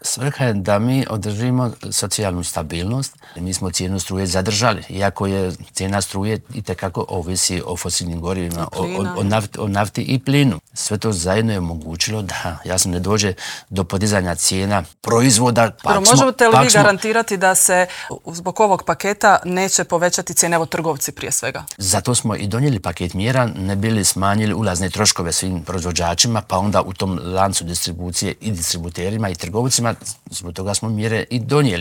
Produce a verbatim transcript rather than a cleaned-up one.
Svrha je da mi održimo socijalnu stabilnost. Mi smo cijenu struje zadržali, iako je cijena struje itekako ovisi o fosilnim gorivima, o, o, o, nafti, o nafti i plinu. Sve to zajedno je omogućilo da jasno ne dođe do podizanja cijena proizvoda. Pa možete li vi smo... garantirati da se zbog ovog paketa neće povećati cijene, evo trgovci prije svega? Zato smo i donijeli paket mjera, ne bili smanjili ulazne troškove svim proizvođačima, pa onda u tom lancu distribucije i distributerima i trgovcima, zbog toga smo mjere i donijeli.